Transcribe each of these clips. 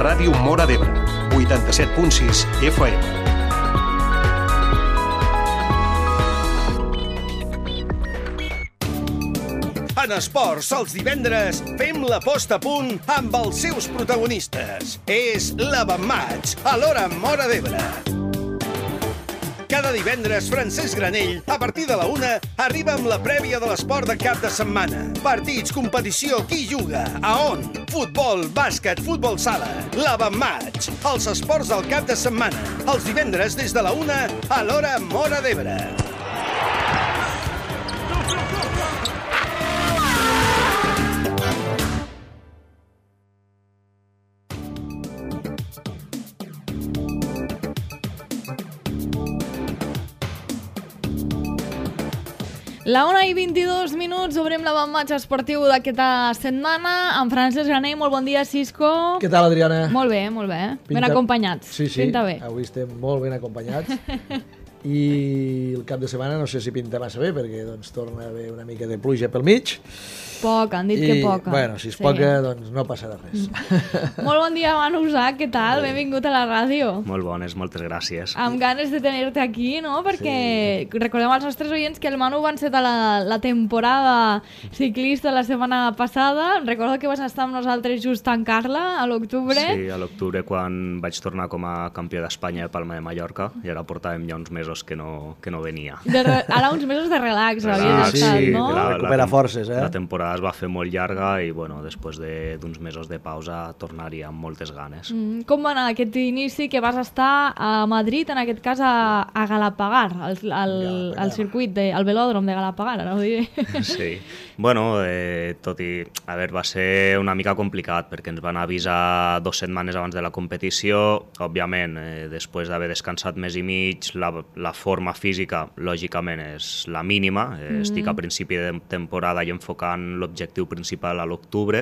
Ràdio Móra d'Ebre, 87.6 FM. En esports, els divendres, fem la posta a punt amb els seus protagonistes. És l'Avantmatch, a l'hora Móra d'Ebre. Cada divendres, Francesc Granell, a partir de la 1, arriba amb la prèvia de l'esport de cap de setmana. Partits, competició, qui juga, a on? Futbol, bàsquet, futbol sala. L'Avantmatch, els esports del cap de setmana. Els divendres, des de la 1, a l'hora Móra d'Ebre. La 1:22, obrim l'avantmatch esportiu d'aquesta setmana amb Francesc Granell. Molt bon dia, Cisco. Què tal, Adriana? Molt bé, molt bé. Ben acompanyats. Sí, pinta bé. Avui estem molt ben acompanyats. I el cap de setmana no sé si pinta massa bé, perquè doncs, torna a haver una mica de pluja pel mig. Poca, han dit que poca. Bueno, si és poca, doncs no passarà res. Molt bon dia, Manu Usach, què tal? Benvingut a la ràdio. Molt bones, moltes gràcies. Amb ganes de tenir-te aquí, no? Perquè recordem als nostres oients que el Manu va encetar la temporada ciclista la setmana passada. Recordo que vas estar amb nosaltres just tancant-la a l'octubre. Sí, a l'octubre, quan vaig tornar com a campió d'Espanya de Palma de Mallorca, i ara portàvem ja uns mesos que no venia. Ara uns mesos de relax havies estat, no? Recupera forces, La temporada es va fer molt llarga i, bueno, després d'uns mesos de pausa tornaria amb moltes ganes. Com va anar aquest inici que vas estar a Madrid, en aquest cas a Galapagar, al circuit, al velòdrom de Galapagar, ara ho diré. Sí, bueno, tot i... A veure, va ser una mica complicat perquè ens van avisar 2 setmanes abans de la competició. Òbviament, després d'haver descansat mes i mig, la forma física, lògicament, és la mínima. Estic a principi de temporada i enfocant l'objectiu principal a l'octubre,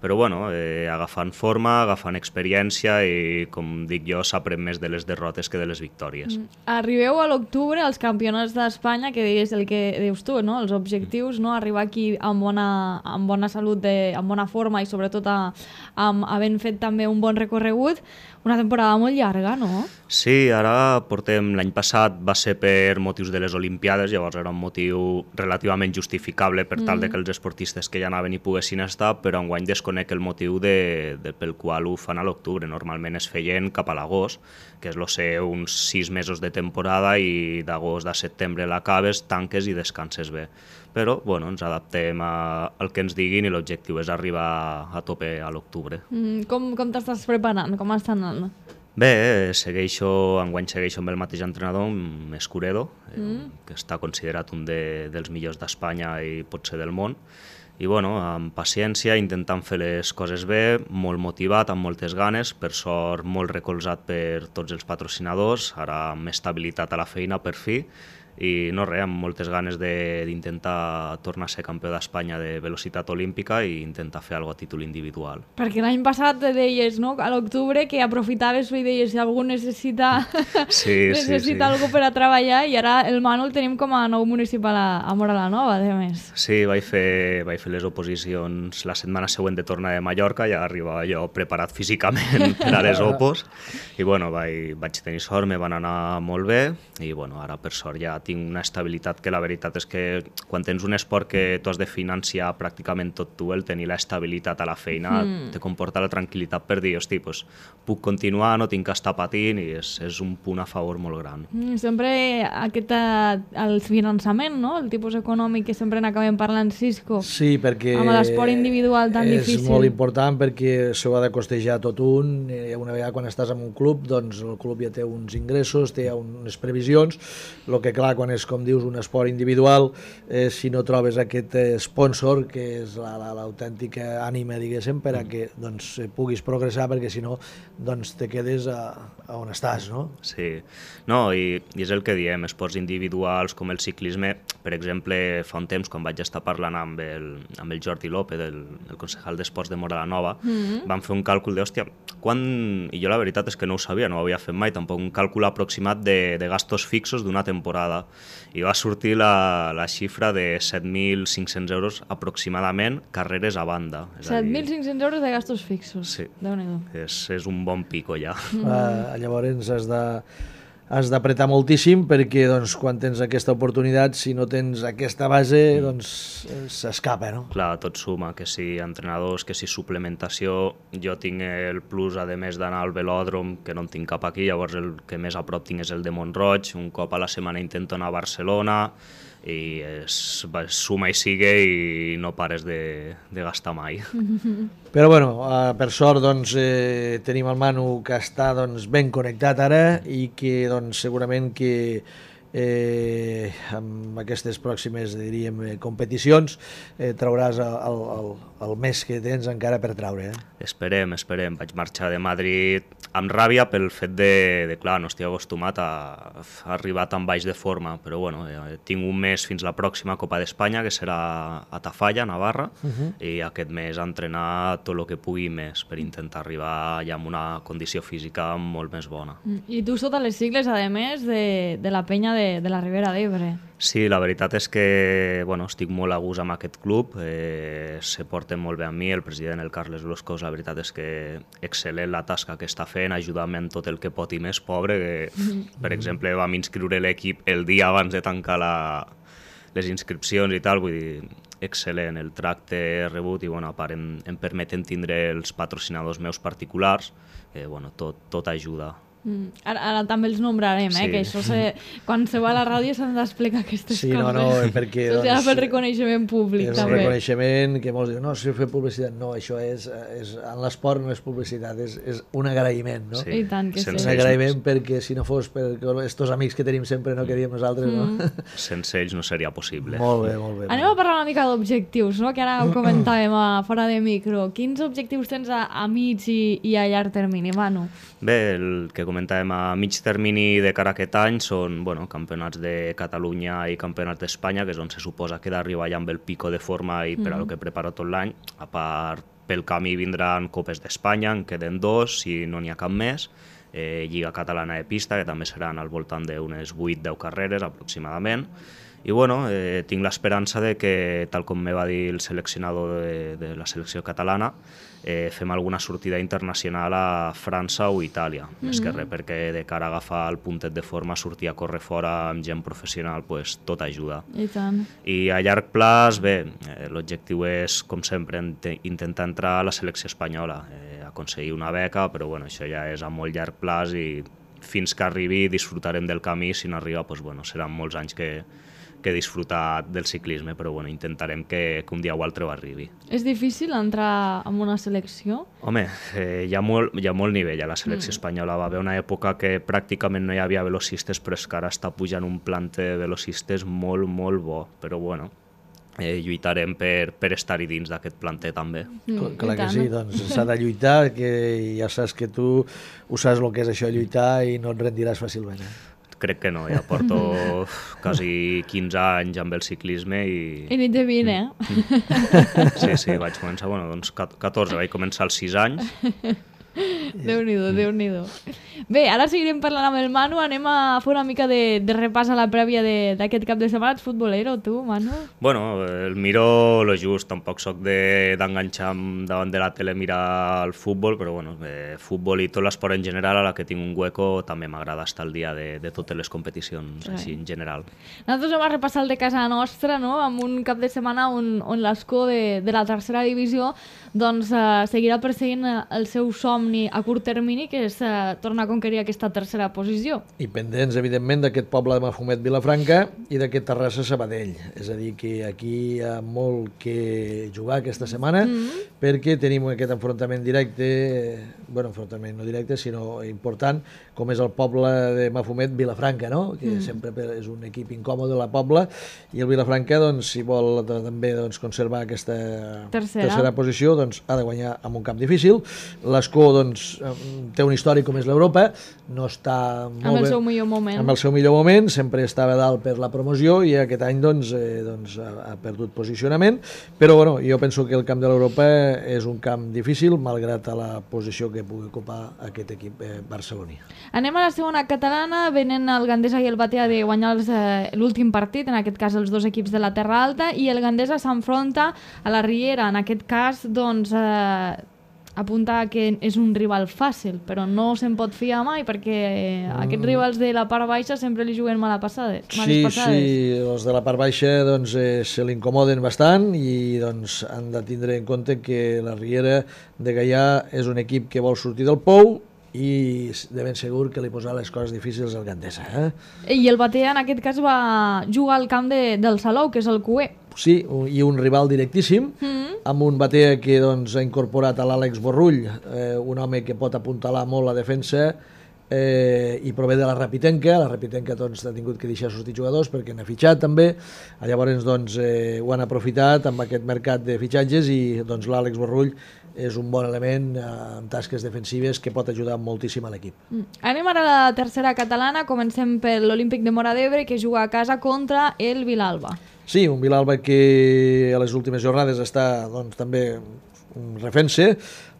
però bueno, agafant forma, agafant experiència i, com dic jo, s'aprèn més de les derrotes que de les victòries. Arribeu a l'octubre als campionats d'Espanya, que deies el que dius tu, no? Els objectius, no? Arribar aquí amb bona salut, amb bona forma i sobretot havent fet també un bon recorregut. Una temporada molt llarga, no? Sí, ara portem... L'any passat va ser per motius de les Olimpiades, llavors era un motiu relativament justificable per tal de que els esportistes que ja anaven hi poguessin estar, però enguany desconec el motiu pel qual ho fan a l'octubre. Normalment es feien cap a l'agost, que és uns 6 mesos de temporada i d'agost a setembre l'acabes, tanques i descanses bé. Però bueno, ens adaptem al que ens diguin i l'objectiu és arribar a tope a l'octubre. Com t'estàs preparant? Com està anant? Bé, enguany segueixo amb el mateix entrenador, Escuredo, que està considerat un dels millors d'Espanya i potser del món. I bueno, amb paciència, intentant fer les coses bé, molt motivat, amb moltes ganes, per sort molt recolzat per tots els patrocinadors, ara amb estabilitat a la feina per fi, i no res, amb moltes ganes d'intentar tornar a ser campió d'Espanya de velocitat olímpica i intentar fer alguna cosa a títol individual. Perquè l'any passat deies, no?, a l'octubre, que aprofitaves i deies si algú necessita algú per a treballar, i ara el Manu el tenim com a nou municipal a Móra la Nova, a més. Sí, vaig fer les oposicions la setmana següent de tornar de Mallorca, ja arribava jo preparat físicament per a les opos, i bueno, vaig tenir sort, me van anar molt bé, i bueno, ara per sort ja tinc una estabilitat que la veritat és que quan tens un esport que tu has de financiar pràcticament tot tu, el tenir l'estabilitat a la feina te comporta la tranquil·litat per dir, hosti, doncs puc continuar, no tinc que estar patint, i és un punt a favor molt gran. Sempre el finançament, no?, el tipus econòmic que sempre n'acabem parlant, Cisco. Sí, perquè amb l'esport individual tan difícil. És molt important perquè s'ho ha de costejar tot un. Una vegada quan estàs en un club, doncs el club ja té uns ingressos, té unes previsions. El que clar, quan és, com dius, un esport individual, si no trobes aquest sponsor, que és l'autèntica ànima, diguéssim, per a que doncs, puguis progressar, perquè si no doncs, te quedes on estàs, no? Sí, no, i és el que diem, esports individuals com el ciclisme, per exemple, fa un temps, quan vaig estar parlant amb el Jordi López, el concejal d'Esports de Móra la Nova, vam fer un càlcul de, hòstia, i jo la veritat és que no ho sabia, no ho havia fet mai, tampoc un càlcul aproximat de gastos fixos d'una temporada, i va sortir la xifra de 7.500 euros aproximadament carreres a banda. 7.500 euros de gastos fixos. Sí, Déu-n'hi-do. és un bon pico ja. Llavors has d'apretar moltíssim perquè doncs, quan tens aquesta oportunitat, si no tens aquesta base, doncs s'escapa, no? Clar, tot suma, que si entrenadors, que si suplementació. Jo tinc el plus, a més d'anar al velòdrom, que no en tinc cap aquí, llavors el que més a prop tinc és el de Mont-roig, un cop a la setmana intento anar a Barcelona, i suma i sigue i no pares de gastar mai. Però bueno, per sort doncs, tenim el Manu que està doncs, ben connectat ara i que doncs, segurament que amb aquestes pròximes, diríem, competicions trauràs el més que tens encara per traure. Esperem. Vaig marxar de Madrid amb ràbia pel fet de clar, no estic acostumat a arribar tan baix de forma, però bueno, tinc un mes fins la pròxima Copa d'Espanya, que serà a Tafalla, Navarra, i aquest mes entrenar tot el que pugui més per intentar arribar ja amb una condició física molt més bona. I tu sota les sigles, a més, de la penya de la Ribera d'Ebre. Sí, la veritat és que estic molt a gust amb aquest club, se porten molt bé amb mi, el president, el Carles Bloscos, la veritat és que excel·lent la tasca que està fent, ajudant-me en tot el que pot i més, pobre, que per exemple vam inscriure l'equip el dia abans de tancar les inscripcions i tal, vull dir, excel·lent el tracte rebut i a part em permeten tindre els patrocinadors meus particulars, tot ajuda. Ara també els nombrarem, sí. Que això quan se va a la ràdio s'han d'explicar aquestes coses. No, perquè... Això serà pel reconeixement públic, és també. És reconeixement que molts diuen, no, si fer publicitat, no, això és en l'esport no és publicitat, és un agraïment, no? Sí. I tant que sí. Un agraïment perquè si no fos per estos amics que tenim sempre, no, que diem nosaltres, no? Sense ells no seria possible. Molt bé. Anem a parlar una mica d'objectius, no? Que ara ho comentàvem fora de micro. Quins objectius tens a mig i a llarg termini, Manu? Bé, el que comentàvem a mig termini de cara a aquest any són campionats de Catalunya i campionats d'Espanya, que és on se suposa que d'arribar ja amb el pico de forma i per a lo que preparo tot l'any. A part, pel camí vindran Copes d'Espanya, en queden 2, si no n'hi ha cap més, Lliga Catalana de Pista, que també seran al voltant d'unes 8-10 carreres aproximadament. I tinc l'esperança de que, tal com me va dir el seleccionador de la selecció catalana, fem alguna sortida internacional a França o Itàlia. Més que res, perquè de cara a agafar el puntet de forma, sortir a córrer fora amb gent professional, tot ajuda. I tant. I a llarg plaç, bé, l'objectiu és, com sempre, intentar entrar a la selecció espanyola, aconseguir una beca, però això ja és a molt llarg plaç i fins que arribi disfrutarem del camí. Si no arriba, seran molts anys que disfrutar del ciclisme, però intentarem que un dia o altre ho arribi. És difícil entrar en una selecció? Home, hi ha molt nivell a la selecció espanyola. Va haver una època que pràcticament no hi havia velocistes, però és que ara està pujant un planter de velocistes molt, molt bo. Però lluitarem per estar-hi dins d'aquest planter també. Clar que sí, doncs s'ha de lluitar, que ja saps que tu ho saps el que és això, lluitar, i no et rendiràs fàcilment. Crec que no, ja porto quasi 15 anys amb el ciclisme i... I ni té 20, Sí, vaig començar, 14, vaig començar als 6 anys. Déu-n'hi-do. Bé, ara seguirem parlant amb el Manu, anem a fer una mica de repàs a la prèvia d'aquest cap de setmana. Ets futbolero, tu, Manu? El miro lo just, tampoc soc d'enganxar davant de la tele a mirar el futbol, però futbol i tot l'esport en general, a la que tinc un hueco, també m'agrada estar al dia de totes les competicions, així en general. Nosaltres vam repassar el de casa nostra, no?, amb un cap de setmana on l'Escó de la tercera divisió seguirà perseguint el seu somni a curt termini, que és tornar a conquerir aquesta tercera posició. I pendents, evidentment, d'aquest poble de Mafumet, Vilafranca, i d'aquest Terrassa, Sabadell. És a dir, que aquí hi ha molt que jugar aquesta setmana, perquè tenim aquest enfrontament directe, enfrontament no directe, sinó important, com és el poble de Mafumet, Vilafranca, no?, que sempre és un equip incòmode de la Pobla, i el Vilafranca, si vol també conservar aquesta tercera posició, ha de guanyar amb un camp difícil. L'Escó, té un històric com és l'Europa, no està molt Amb el bé, seu millor moment. amb el seu millor moment, sempre estava dalt per la promoció i aquest any doncs, ha perdut posicionament, però bueno, jo penso que el camp de l'Europa és un camp difícil, malgrat a la posició que pugui ocupar aquest equip barceloní. Anem a la segona catalana, venen el Gandesa i el Batea de guanyar l'últim partit, en aquest cas els dos equips de la Terra Alta, i el Gandesa s'enfronta a la Riera, en aquest cas doncs apunta que és un rival fàcil, però no se'n pot fiar mai perquè aquests rivals de la part baixa sempre li juguen males passades. Sí, els de la part baixa doncs, se l'incomoden bastant i doncs, han de tindre en compte que la Riera de Gaià és un equip que vol sortir del pou i de ben segur que li posarà les coses difícils al Gandesa. I el Batea en aquest cas va jugar al camp del Salou, que és el Cué. Sí, i un rival directíssim, amb un Batea que doncs, ha incorporat a l'Àlex Borrull, un home que pot apuntalar molt la defensa i prové de la Rapitenca. La Rapitenca doncs, ha tingut que deixar sortir jugadors perquè n'ha fitxat també, llavors doncs, ho han aprofitat amb aquest mercat de fitxatges i doncs, l'Àlex Borrull és un bon element en tasques defensives que pot ajudar moltíssim a l'equip. Anem ara a la tercera catalana, comencem per l'Olímpic de Móra d'Ebre, que juga a casa contra el Vilalba. Sí, un Vilalba que a les últimes jornades està doncs, també refent-se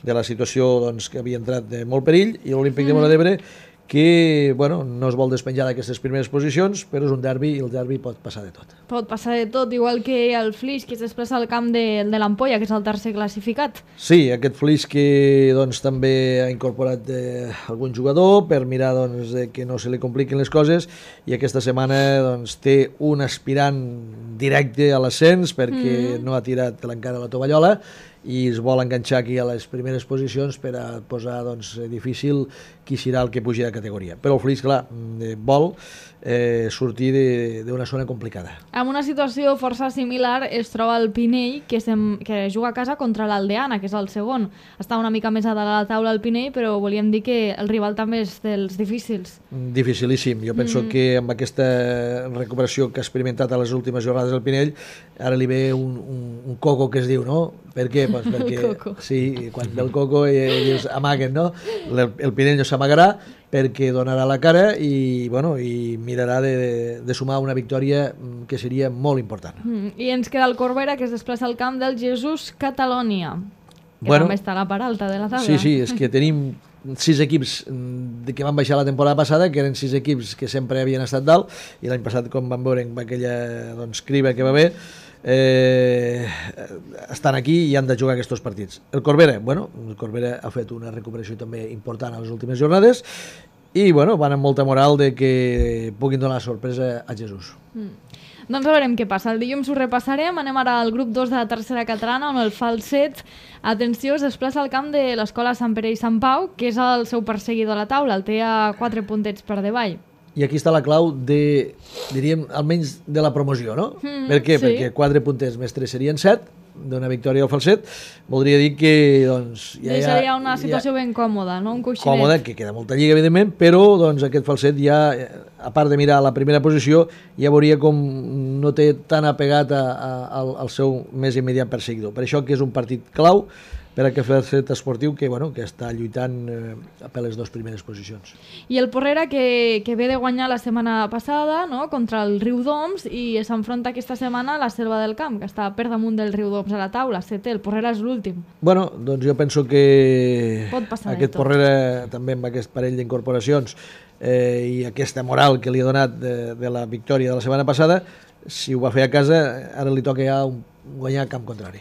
de la situació doncs, que havia entrat de molt perill, i l'Olímpic de Móra d'Ebre que bueno, no es vol despenjar d'aquestes primeres posicions, però és un derbi i el derbi pot passar de tot. Pot passar de tot, igual que el Flix, que es desplaça al camp de l'Ampolla, que és el tercer classificat. Sí, aquest Flix que doncs, també ha incorporat algun jugador per mirar doncs, que no se li compliquin les coses, i aquesta setmana doncs, té un aspirant directe a l'ascens perquè no ha tirat encara la tovallola i es vol enganxar aquí a les primeres posicions per a posar doncs, difícil qui serà el que pugi de categoria. Però el Flix, clar, vol sortir d'una zona complicada. En una situació força similar es troba el Pinell, que juga a casa contra l'Aldeana, que és el segon. Està una mica més a dalt a la taula el Pinell, però volíem dir que el rival també és dels difícils. Dificilíssim. Jo penso que amb aquesta recuperació que ha experimentat a les últimes jornades del Pinell, ara li ve un coco que es diu, no? Per què? Pues perquè, sí, quan ve el coco dius, amaguen, no? El Pinell no s'amagarà perquè donarà la cara i, bueno, i mirarà de sumar una victòria que seria molt important. I ens queda el Corbera, que es desplaça al camp del Jesús Catalònia, que també està a la part alta de la taula. Sí, és que tenim 6 equips que van baixar la temporada passada, que eren 6 equips que sempre havien estat dalt, i l'any passat, com vam veure amb aquella doncs, criba que va haver, estan aquí i han de jugar aquests partits. El Corbera ha fet una recuperació també important a les últimes jornades i van amb molta moral de que puguin donar sorpresa a Jesús. Doncs veurem què passa. El dilluns ho repassarem. Anem ara al grup 2 de la tercera catalana, on el Falset, atenció, es desplaça al camp de l'escola Sant Pere i Sant Pau, que és el seu perseguidor a la taula, el té a 4 puntets per davall. I aquí està la clau diríem, almenys de la promoció, no? Per què? Sí. Perquè 4 puntets més 3 serien 7, d'una victòria al Falset, voldria dir que doncs, seria una situació ben còmoda, no? Un coixinet. Còmoda, que queda molta lliga, evidentment, però doncs, aquest Falset ja, a part de mirar la primera posició, ja veuria com no té tan apegat al seu més immediat perseguidor. Per això que és un partit clau per a aquest Falset esportiu que està lluitant per les 2 primeres posicions. I el Porrera que ve de guanyar la setmana passada, no?, contra el Riudoms, i s'enfronta aquesta setmana a la Selva del Camp, que està per damunt del Riudoms a la taula, 7è, el Porrera és l'últim. Bueno, doncs jo penso que aquest Porrera també amb aquest parell d'incorporacions i aquesta moral que li ha donat de la victòria de la setmana passada, si ho va fer a casa, ara li toca ja guanyar camp contrari.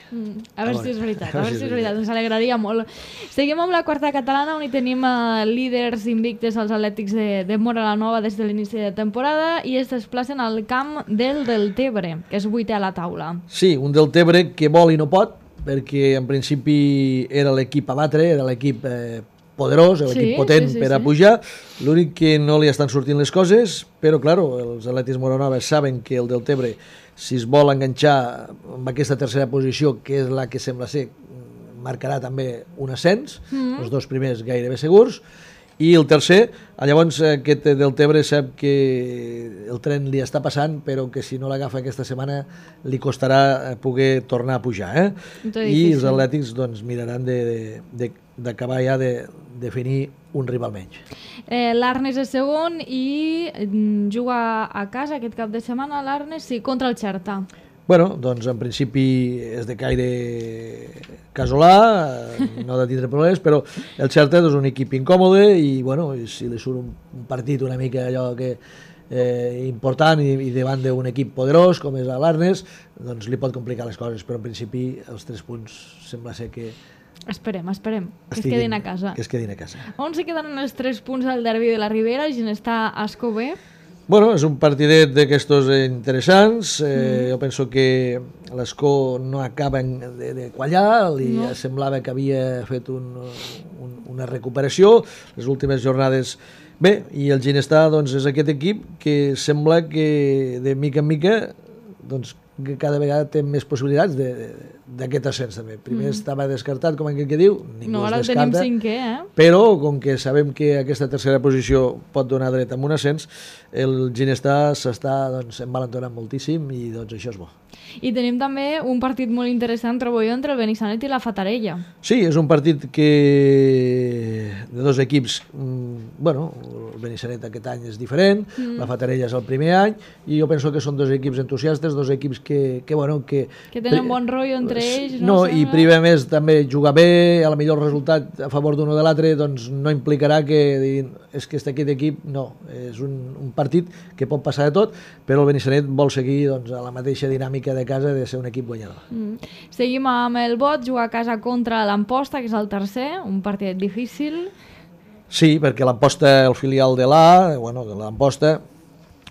A veure si és veritat, ens alegraria molt. Seguim amb la quarta catalana, on hi tenim líders invictes als Atlètics de Móra la Nova des de l'inici de temporada, i es desplacen al camp del Deltebre, que és 8è a la taula. Sí, un Deltebre que vol i no pot, perquè en principi era l'equip a batre, era l'equip poderós, l'equip potent per a pujar, l'únic que no li estan sortint les coses, però clar, els Atlètics Móra la Nova saben que el Deltebre, si es vol enganxar amb aquesta tercera posició, que és la que sembla ser, marcarà també un ascens, els 2 primers gairebé segurs, i el tercer, llavors aquest Deltebre sap que el tren li està passant, però que si no l'agafa aquesta setmana li costarà poder tornar a pujar. I els Atlètics doncs, miraran d'acabar ja definir un rival menys. L'Arnes és segon i juga a casa aquest cap de setmana, l'Arnes, sí, contra el Xerta. Bueno, doncs en principi és de caire casolà, no de tindre problemes, però el Xerta és un equip incòmode i bueno, si li surt un partit una mica allò que important i davant d'un equip poderós com és l'Arnes, doncs li pot complicar les coses, però en principi els 3 punts sembla ser que Esperem, que es quedin a casa. Que es quedin a casa. On se quedaran els 3 punts del derbi de la Ribera? Ginestà Ascó B? Bueno, és un partidet d'aquestos interessants. Jo penso que l'Escó no acaba de quallar, li semblava que havia fet una recuperació les últimes jornades. Bé, i el Ginestà doncs, és aquest equip que sembla que de mica en mica doncs, que cada vegada té més possibilitats d'aquest ascens també. Primer estava descartat, com aquell que diu, ningú es descarta. No, ara el tenim 5è, Però, com que sabem que aquesta tercera posició pot donar dret a un ascens, el Ginestà s'està envalentonant moltíssim i doncs això és bo. I tenim també un partit molt interessant, trobo jo, entre el Benissanet i la Fatarella. Sí, és un partit que de 2 equips, bueno, el Benissanet aquest any és diferent, la Fatarella és el primer any, i jo penso que són 2 equips entusiastes, 2 equips que tenen bon rotllo entre ells. No, i primer més també jugar bé, a la millor resultat a favor d'un o de l'altre, doncs no implicarà que diguin, és que aquest equip, no, és un partit que pot passar de tot, però el Benissanet vol seguir doncs, a la mateixa dinàmica de casa de ser un equip guanyador. Seguim amb el Bot, jugar a casa contra l'Amposta, que és el tercer, un partit difícil. Sí, perquè l'Amposta, el filial de l'Amposta,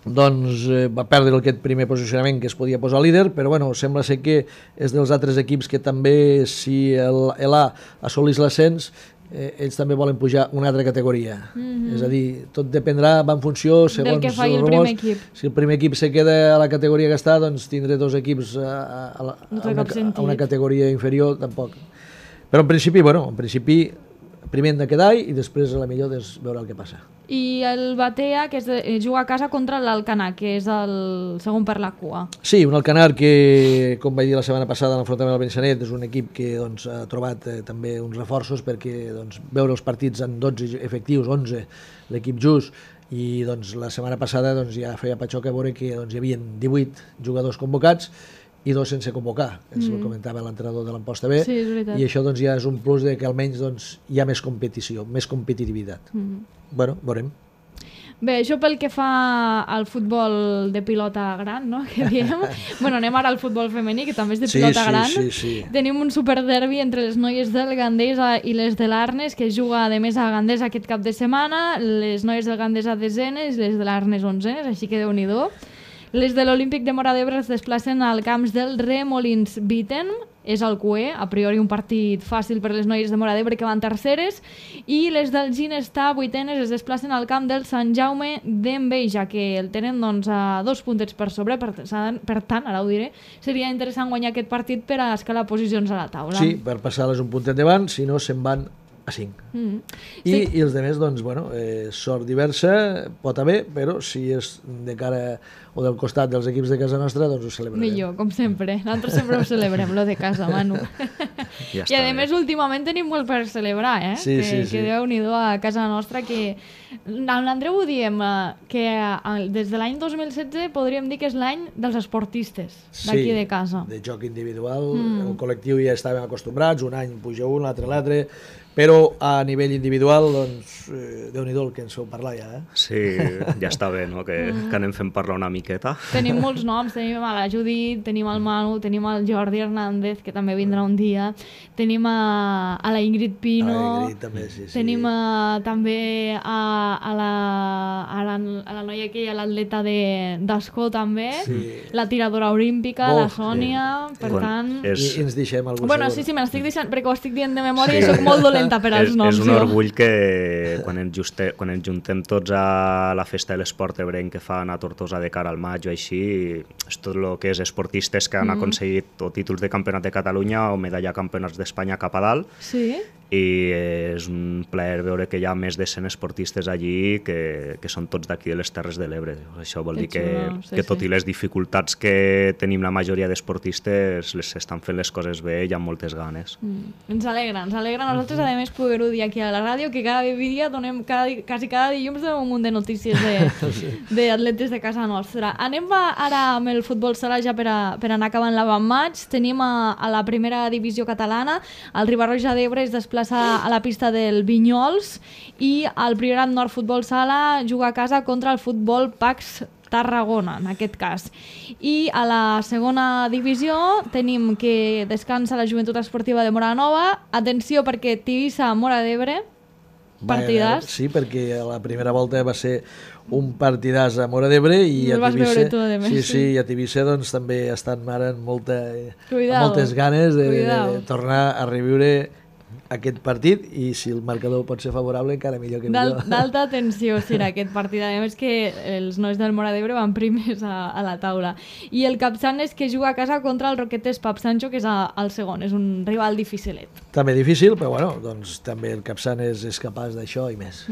doncs va perdre aquest primer posicionament que es podia posar líder, però bueno, sembla ser que és dels altres equips que també, si l'A assolís l'ascens, ells també volen pujar una altra categoria. És a dir, tot dependrà, va en funció segons del que faci el primer equip. Si el primer equip se queda a la categoria que està, doncs tindré 2 equips a una categoria inferior, tampoc. Però en principi primer hem de quedar i després a la millor veure el que passa. I el Batea, que juga a casa contra l'Alcanar, que és el segon per la cua. Sí, un Alcanar que, com vaig dir la setmana passada en l'enfrontament al Benissanet, és un equip que doncs, ha trobat també uns reforços perquè doncs, veure els partits en 12 efectius, 11, l'equip just, i doncs, la setmana passada doncs, ja feia patxoca a veure que doncs, hi havia 18 jugadors convocats i 2 sense convocar, ens ho comentava l'entrenador de l'Amposta B, sí, i això doncs, ja és un plus de que almenys doncs, hi ha més competició, més competitivitat. Bueno, veurem. Bé, això pel que fa al futbol de pilota gran, no?, que diem. Bueno, anem ara al futbol femení, que també és de pilota gran. Sí. Tenim un superderbi entre les noies del Gandesa i les de l'Arnes, que juga de més a Gandesa aquest cap de setmana, les noies del Gandesa desenes i les de l'Arnes onzenes, així que Déu-n'hi-do. Les de l'Olímpic de Móra d'Ebre es desplacen al camps del Remolins Bitten, és el QE, a priori un partit fàcil per les noies de Móra d'Ebre que van terceres, i les del Ginestà, vuitenes, es desplacen al camp del Sant Jaume d'Enveja, que el tenen doncs, a 2 puntets per sobre, per tant, ara ho diré, seria interessant guanyar aquest partit per a escalar posicions a la taula. Sí, per passar-les un puntet davant, si no se'n van a 5. I els altres, doncs, bueno, sort diversa, pot haver, però si és de cara o del costat dels equips de casa nostra, doncs ho celebrarem. Millor, com sempre. Nosaltres sempre ho celebrem, lo de casa, Manu. Ja I a més, últimament tenim molt per celebrar, Sí. Que Déu-n'hi-do a casa nostra, que l'Andreu ho diem, que des de l'any 2016 podríem dir que és l'any dels esportistes d'aquí de casa. Sí, de joc individual, el col·lectiu ja estàvem acostumbrats, un any puja un, l'altre, però a nivell individual, doncs, Déu-n'hi-do el que ens feu parlar ja, Sí, ja està bé, no?, que anem fent parlar una miqueta. Tenim molts noms, tenim a la Judit, tenim el Manu, tenim el Jordi Hernández, que també vindrà un dia, tenim a la Ingrid Pino, a la Ingrid també, sí. Tenim també a la noia aquella, l'atleta d'Escó també, la tiradora olímpica, la Sònia, per tant... I ens deixem algú Bueno, segur. sí, me l'estic deixant, perquè ho estic dient de memòria i soc molt dolenta per als noms. És un orgull que quan ens juntem tots a la festa de l'esport ebrenc que fan a Tortosa de cara al maig o així, és tot el que és esportistes que han aconseguit o títols de campionat de Catalunya o medalla campionats d'Espanya cap a dalt. Sí. i és un plaer veure que hi ha més de 100 esportistes allí que són tots d'aquí de les Terres de l'Ebre. Això vol dir que tot i les dificultats que tenim la majoria d'esportistes estan fent les coses bé i amb moltes ganes. Ens alegra nosaltres a més poder-ho dir aquí a la ràdio, que cada dia donem quasi cada dilluns un munt de notícies d'atletes de casa nostra. Anem ara amb el futbol sala ja per anar acabant l'avantmatx. Tenim a la primera divisió catalana, el Riba-roja d'Ebre es desplaça a la pista del Vinyols i el Priorat Nord Futbol Sala juga a casa contra el Futbol Pax Tarragona, en aquest cas. I a la segona divisió tenim que descansa la Joventut Esportiva de Móra la Nova. Atenció, perquè Tivissa-Móra d'Ebre, partidàs. Sí, perquè a la primera volta va ser un partidàs a Móra d'Ebre i a Tivissa, i a Tivissa doncs, també estan ara amb moltes ganes de tornar a reviure aquest partit, i si el marcador pot ser favorable encara millor que millor. D'alta tensió serà aquest partit, a més que els nois del Móra d'Ebre van primers a la taula. I el Capçanes, que juga a casa contra el Roquetes Pap Sancho, que és el segon, és un rival dificilet. També difícil, però bueno, doncs també el Capçanes és capaç d'això i més.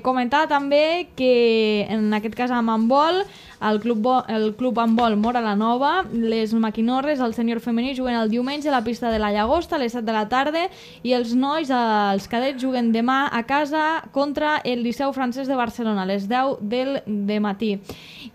Comentar també que en aquest cas amb handbol, el club handbol Móra la Nova, les maquinorres, el sènior femení, juguen el diumenge a la pista de la Llagosta a les 7 de la tarda, i els nois, els cadets, juguen demà a casa contra el Liceu Francès de Barcelona a les 10 del matí.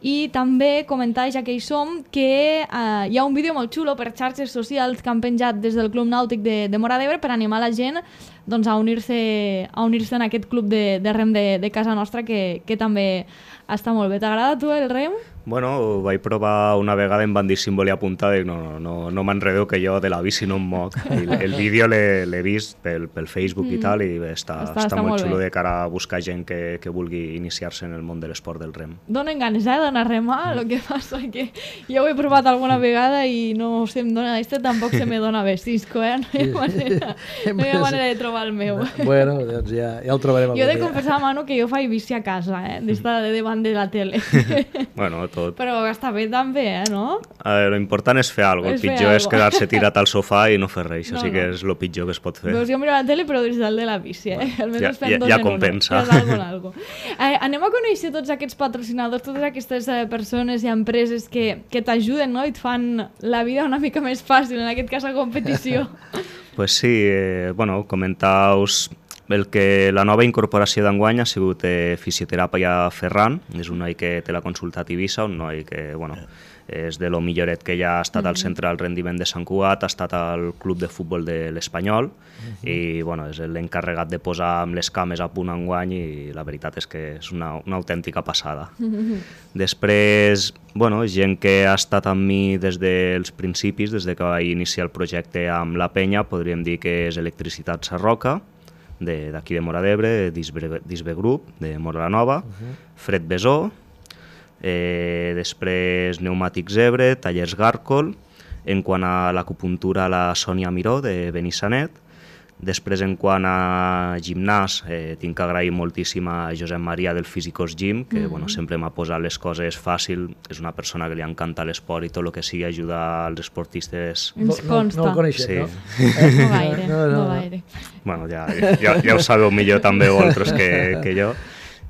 I també comentar, ja que hi som, que hi ha un vídeo molt xulo per xarxes socials que han penjat des del Club Nàutic de Móra d'Ebre per animar la gent doncs, a unir-se en aquest club de rem de casa nostra, que també està molt bé. T'agrada a tu el rem? Bueno, ho vaig provar una vegada, em van dir si em volia apuntar, dic no m'enredo, que jo de la bici no em moc. El vídeo l'he vist pel Facebook i tal, i està molt xulo de cara a buscar gent que vulgui iniciar-se en el món de l'esport del rem. Donen ganes d'anar a remar, el que passa que jo ho he provat alguna vegada i no se em dona, tampoc se me dona bé, Cisco, no hi ha manera de trobar el meu. Bueno, doncs ja ho trobarem. Jo he de confessar, Manu, que jo faig bici a casa, d'estar davant de la tele. Bueno, tot. Però està bé també, no? Lo important és fer alguna cosa. El pitjor és quedar-se tirat al sofà i no fer res. Això sí que és el pitjor que es pot fer. Doncs jo miro la tele, però des del de la bici, Ja compensa. Anem a conèixer tots aquests patrocinadors, totes aquestes persones i empreses que t'ajuden, no? I et fan la vida una mica més fàcil, en aquest cas a competició. Pues sí, comentar-vos que la nova incorporació d'enguany ha sigut Fisioteràpia Ferran, és un noi que té la consulta a Tivissa, un noi que és de lo milloret que ja ha estat al centre del rendiment de Sant Cugat, ha estat al club de futbol de l'Espanyol i és l'encarregat de posar amb les cames a punt enguany, i la veritat és que és una autèntica passada. Després, gent que ha estat amb mi des dels principis, des que vaig iniciar el projecte amb la penya, podríem dir que és Electricitat Sarroca, d'aquí de Móra d'Ebre, Disbe Group, de Móra la Nova, Fred Besó, després Pneumàtics Ebre, Tallers Gàrcol, en quant a l'acupuntura la Sònia Miró, de Benissanet. Després, en quant a gimnàs, tinc que agrair moltíssim a Josep Maria del Físicos Gym, que sempre m'ha posat les coses fàcil. És una persona que li encanta l'esport i tot el que sigui ajudar als esportistes. Ens consta. No el coneixem, no? No gaire. Bueno, ja ho sabeu millor també vosaltres que jo.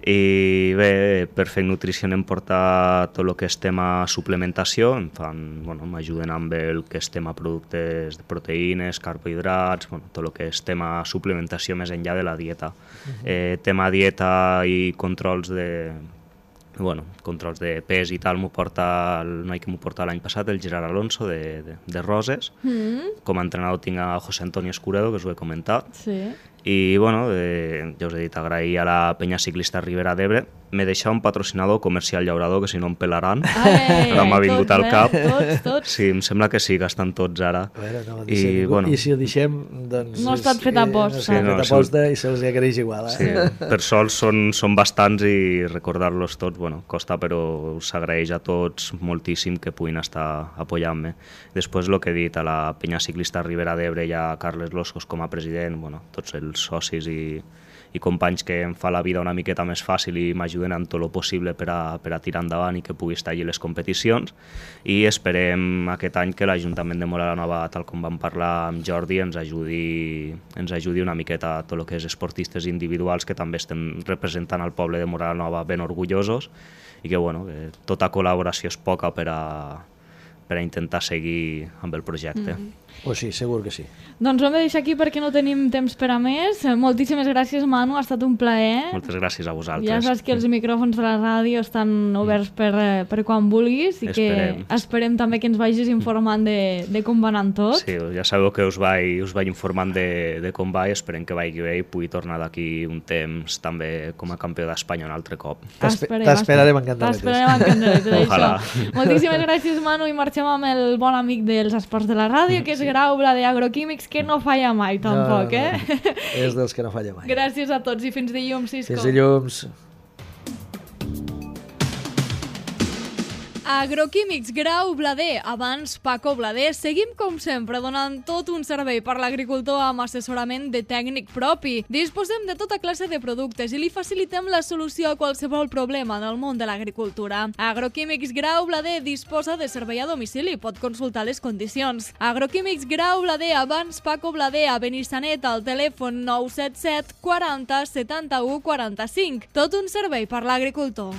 I bé, Perfect Nutrition em porta tot el que és tema suplementació, m'ajuden amb el que és tema productes de proteïnes, carbohidrats, tot el que és tema suplementació més enllà de la dieta. Tema dieta i controls de pes i tal, m'ho porta el noi que m'ho porta l'any passat, el Gerard Alonso, de Roses. Com a entrenador tinc a José Antonio Escuredo, que us ho he comentat. I, ja us he dit, agrair a la penya ciclista Ribera d'Ebre. M'he deixat un patrocinador comercial llaurador, que si no em pelaran. Ara m'ha vingut al cap. Tots. Sí, em sembla que sí, que estan tots ara. I si ho deixem, doncs... No ha estat fet aposta. No ha estat fet aposta i se'ls agraeix igual. Sí, per sort són bastants i recordar-los tots, costa, però us agraeix a tots moltíssim que puguin estar apoyant-me. Després, el que he dit, a la penya ciclista Ribera d'Ebre i a Carles Loscos com a president, tots els els socis i companys que em fa la vida una miqueta més fàcil i m'ajuden en tot el possible per a tirar endavant i que pugui estar allà les competicions, i esperem aquest any que l'Ajuntament de Móra la Nova, tal com vam parlar amb Jordi, ens ajudi una miqueta a tot el que és esportistes individuals que també estem representant al poble de Móra la Nova ben orgullosos, i que, bueno, tota col·laboració és poca per a intentar seguir amb el projecte. Pues sí, segur que sí. Doncs ho hem de deixar aquí perquè no tenim temps per a més. Moltíssimes gràcies, Manu, ha estat un plaer. Moltes gràcies a vosaltres. Ja saps que els micròfons de la ràdio estan oberts per quan vulguis i que esperem també que ens vagis informant de com va anant tot. Sí, ja sabeu que us vaig informant de com va, i esperem que vagi bé i pugui tornar d'aquí un temps també com a campió d'Espanya un altre cop. T'esperarem en candeletes. Ojalà. Moltíssimes gràcies, Manu, i marxem amb el bon amic dels esports de la ràdio, que és Grau Blader Agroquímics, que no falla mai, tampoc, no. És dels que no falla mai. Gràcies a tots i fins dilluns, Cisco. Fins dilluns. Agroquímics Grau Blader, abans Paco Blader. Seguim, com sempre, donant tot un servei per l'agricultor amb assessorament de tècnic propi. Disposem de tota classe de productes i li facilitem la solució a qualsevol problema en el món de l'agricultura. Agroquímics Grau Blader disposa de servei a domicili, pot consultar les condicions. Agroquímics Grau Blader, abans Paco Blader, a Benissanet, al telèfon 977 40 71 45. Tot un servei per l'agricultor.